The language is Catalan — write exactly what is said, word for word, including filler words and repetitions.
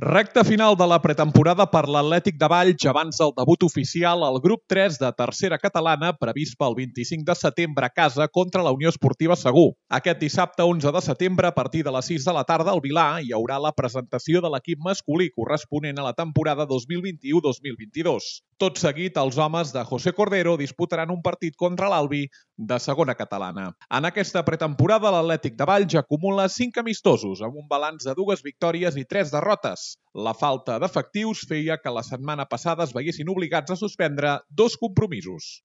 Recta final de la pretemporada per l'Atlètic de Valls abans del debut oficial al grup tres de tercera catalana previst pel vint-i-cinc de setembre a casa contra la Unió Esportiva Segur. Aquest dissabte onze de setembre a partir de les sis de la tarda al Vilà hi haurà la presentació de l'equip masculí corresponent a la temporada dos mil vint-i-u dos mil vint-i-dos. Tot seguit, els homes de José Cordero disputaran un partit contra l'Albi de segona catalana. En aquesta pretemporada, l'Atlètic de Valls acumula cinc amistosos, amb un balanç de dues victòries i tres derrotes. La falta d'efectius feia que la setmana passada es veiessin obligats a suspendre dos compromisos.